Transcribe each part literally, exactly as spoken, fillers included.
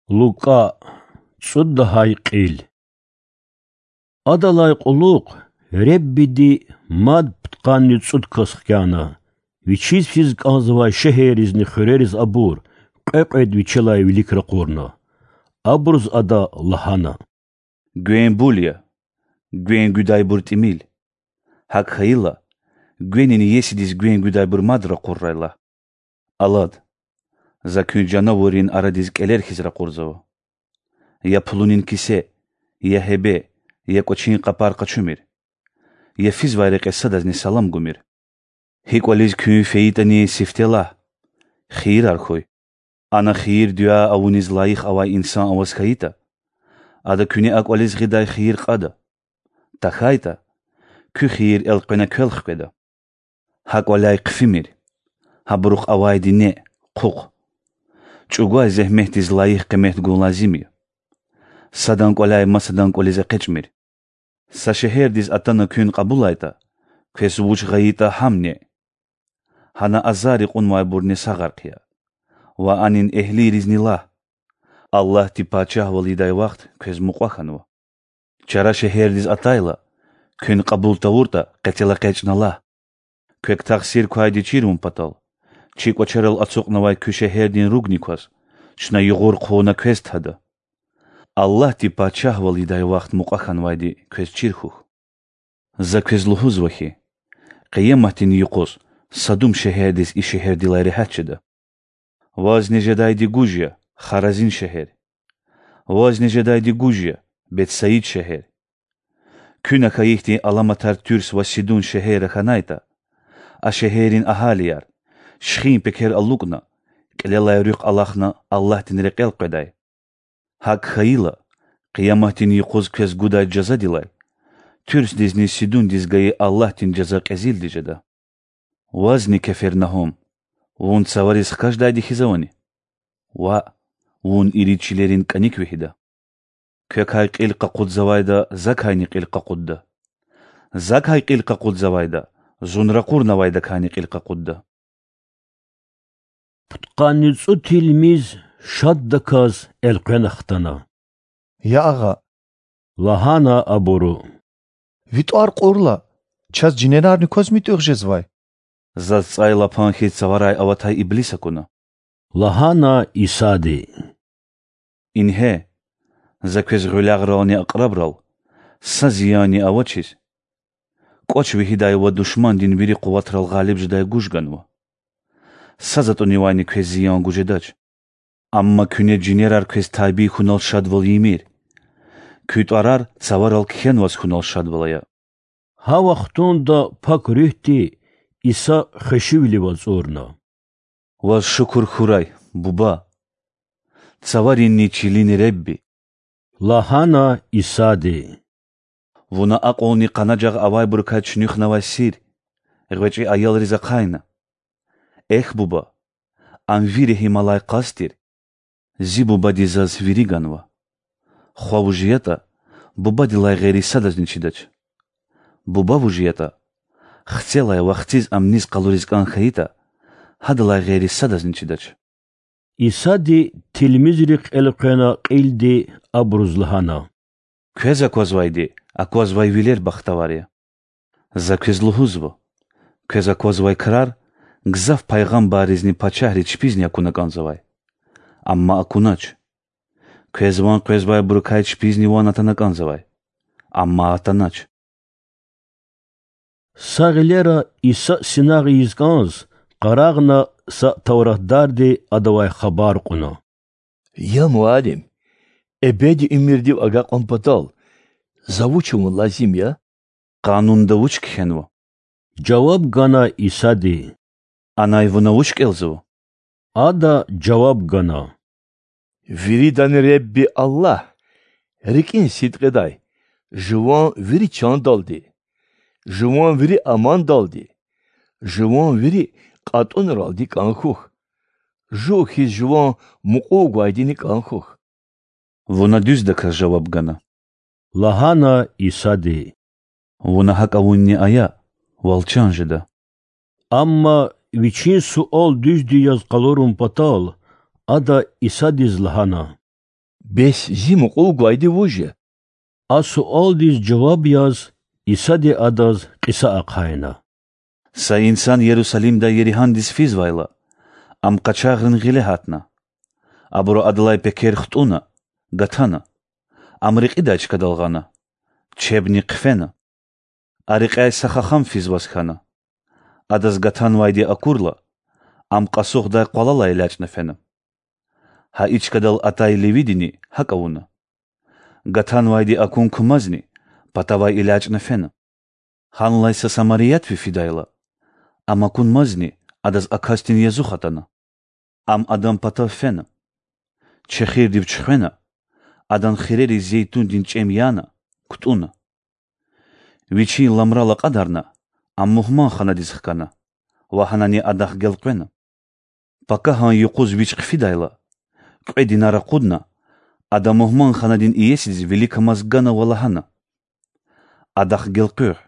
Лукӏа, цӏуд лагьай кьил. Адалай кьулухъ Худадиз мад пудкъанни цӏуд кас хкяна, вичиз физ кӏанзавай шегьерризни хуьрериз абур, кьве-кьвед вичелай вилик ракъурна. Абуруз Ада лагьана: Гвен бул я, гвен гуьдайбур тӏимил. Гьакӏ хьайила, гвенин иесидиз гвен гуьдайбур мад ракъуррай лагь. Алад, За куьн жанавуррин арадиз кӏелер хьиз ракъурзава. Я пулунин кисе, я гьебе, я кӏвачин къапар къачумир, я физвай рекье садазни салам гумир. Гьи кӏвализ куьн фейитӏани, сифте лагь: Хийирар хьуй. Ана хийир-дуьа авуниз лайих авай инсан аваз хьайитӏа, ада куьне а кӏвализ гъидай хийир кьада. ТахьайтӀа, куь хийир элкъвена квел хкведа. Гьа кӀваляй хъфимир, гьабурухъ авайди неъ, хъухъ. ЧӀугвай зегьметдиз лайих къимет гун лазим я. Садан кӀваляй масадан кӀвализ экъечӀмир. Са шегьердиз атана куьн кьабулайтӀа, квез вуч гъайитӀа гьам неъ. Гьана азарри кьунвайбурни сагъар хъия ва анин эгьлийризни лагь: Аллагьди пачагьвал ийидай вахт квез мукьва хьанва. Чара шегьердиз атайла, куьн кьабул тавуртӀа, къецел экъечӀна лагь: Квек тахсир квайди чирун патал, чи кӀвачерал ацукьнавай куь шегьердин ругни кваз, чна югъур хъувуна квез тада. Аллагьди пачагьвал ийидай вахт мукьва хьанвайди квез чир хьухь. За квез лугьузва хьи, Къияматдин юкъуз Садум шегьердиз и шегьердилай регьят жеда. Вазни жедайди гуж я, Харазин шегьер! Вазни жедайди гуж я, Бетсаид шегьер! Куьна хьайи хьтин аламатар Туьрс ва Сидун шегьерра хьанайтӀа, а шегьеррин агьалияр, шихин пекер алукӀна, кьилелай руьхъ алахна Аллагьдин рекьел къведай. ГьакӀ хьайила, Къияматдин юкъуз квез гудай жазадилай Туьрсдизни Сидундиз гайи Аллагьдин жаза кьезилди жеда. Вазни, Кефернагьум, вун цавариз хкаждайди хьиз авани? Ваъ, вун ирид чилерин кӀаник вегьида. Квекай кьил къакъудзавайда Закайни кьил къакъудда. Закай кьил къакъудзавайда Зун ракъурнавайдакайни кьил къакъудда. Пудкъанни цӀуд тилмиз шаддаказ элкъвена хтана. Я Агъа, лагьана абуру, ви тӀвар кьурла, чаз жинерарни кваз муьтӀуьгъ жезвай? Заз цӀайлапан хьиз цаварай аватай иблис акуна,— лагьана Исади. Ингье, За квез гъуьлягърални акьрабрал са зиянни авачиз, кӀвач вегьидай ва душмандин вири къуватрал гъалиб жедай гуж ганва. Са затӀунивайни квез зиян гуз жедач. Амма куьне жинерар квез табий хьунал шадвал ийимир, куь тӀварар цаварал кхьенваз хьунал шадвал ая. Гьа вахтунда Пак Руьгьди Иса хвешивилив ацӀурна. Ваз шукур хьурай, Буба, цаваринни чилин Ребби,— лагьана Исади. Вуна акьулни къанажагъ авайбурукай чуьнуьхнавай сир гъвечӀи аялриз ахъайна. Эхь, Буба, ам ви регьималай къаст тир. Зи Бубади Заз вири ганва. Хва вуж ятӀа, Бубадилай гъейри садазни чидач. Буба вуж ятӀа, Хцелай ва Хциз ам низ къалуриз кӀан хьайитӀа, гьадалай гъейри садазни чидач. Исади тилмизрихъ элкъвена кьилди абуруз лагьана: Квез аквазвайди аквазвай вилер бахтавар я. За квез лугьузва: квез аквазвай крар гзаф пайгъамбарризни пачагьриз чпизни акуна кӀанзавай, амма акунач. Квез ван къвезвайбурукай чпизни ван атана кӀанзавай, амма атанач. Са гъилера Иса синагъ ийиз кӀанз, къарагъна са тавратдарди Адавай хабар кьуна: Я Муаллим, эбеди уьмуьрдив агакьун патал за вуч авун лазим я? Къанунда вуч кхьенва? жаваб гана Исади. Анай вуна вуч кӀелзава? Ада жаваб гана: Виридан Ребби Аллагь, рикӀин сидкьидай, жуван вири чандалди, жуван вири амандалди, жуван вири кьатӀунралди кӀан хьухь, жув хьиз жуван мукьув гвайдини кӀан хьухь. Вуна дуьздаказ жаваб гана,— лагьана Исади. Вуна гьакӀ авунни ая, вал чан жеда. Амма вичин суал дуьзди яз къалурун патал, ада Исадиз лагьана: Бес зи мукьув гвайди вуж я? А суалдиз жаваб яз, Исади адаз кьиса ахъайна: Са инсан Ярусалимдай Еригьандиз физвайла, ам къачагърин гъиле гьатна. Абуру адалай пекер хтӀуна, гатана, ам рекьидай чкадал гъана, чебни хъфена. А рекьяй са хахам физваз хьана. Адаз гатанвайди акурла, ам кьасухдай къвалалай элячӀна фена. Гьа и чкадал атай левидини гьакӀ авуна. Гатанвайди акун кумазни, патавай элячӀна фена. Гьанлай са самариятви фидайла, ам акунмазни, адаз а касдин язух атана. Ам адан патав фена, чехирдив чуьхвена, адан хирериз зейтундин чӀем яна, кутӀуна. Вичин ламрал акьадарна, ам мугьманханадиз хкана ва гьанани адахъ гелкъвена. Пакагьан юкъуз вич хъфидайла, кьве динар акъудна, ада мугьманханадин иесидиз виликамаз гана ва лагьана: Адахъ гелкъуьгъ.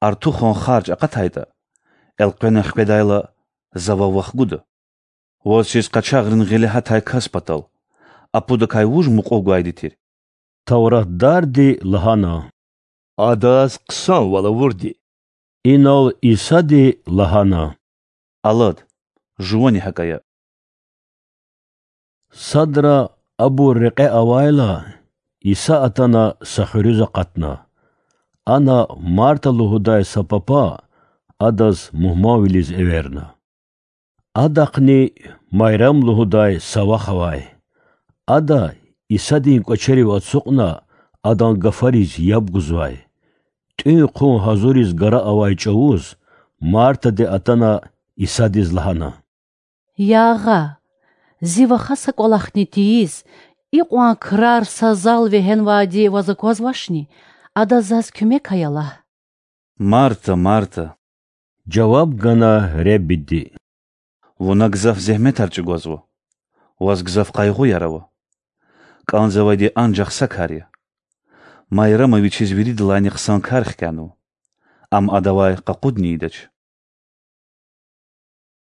Артухан харж акъатайтӀа, элкъвена хкведайла, за вав вахгуда. Ваз чиз къачагърин гъиле гьатай кас патал а пудакай вуж мукьув гвайди тир? Тавратдарди лагьана: Адаз хъсанвал авурди. Инал Исади лагьана: Алад, жувани гьакӀ ая. Садра абур рекье авайла, Иса атана са хуьруьз акъатна. Ана Марта лугьудай са папа адаз мугьманвилиз эверна. Адахъни Майрам лугьудай са вах авай. Ада, Исадин кӀвачерив ацукьна, адан гафариз яб гузвай. ТӀуьн-хъун гьазуриз гара авай чӀавуз Мартади атана Исадиз лагьана: Я Агъа, зи ваха са кӀвалахни тийиз, икьван крар са зал вегьенвайди ваз аквазвачни? Адаз заз куьмек ая лагь. Марта, Марта,— жаваб гана Реббиди,— вуна гзаф зегьметар чӀугвазва, ваз гзаф къайгъуяр ава. КӀанзавайди анжах са кар я. Майрама вичиз виридалайни хъсан кар хкянава, ам адавай къакъудни ийидач.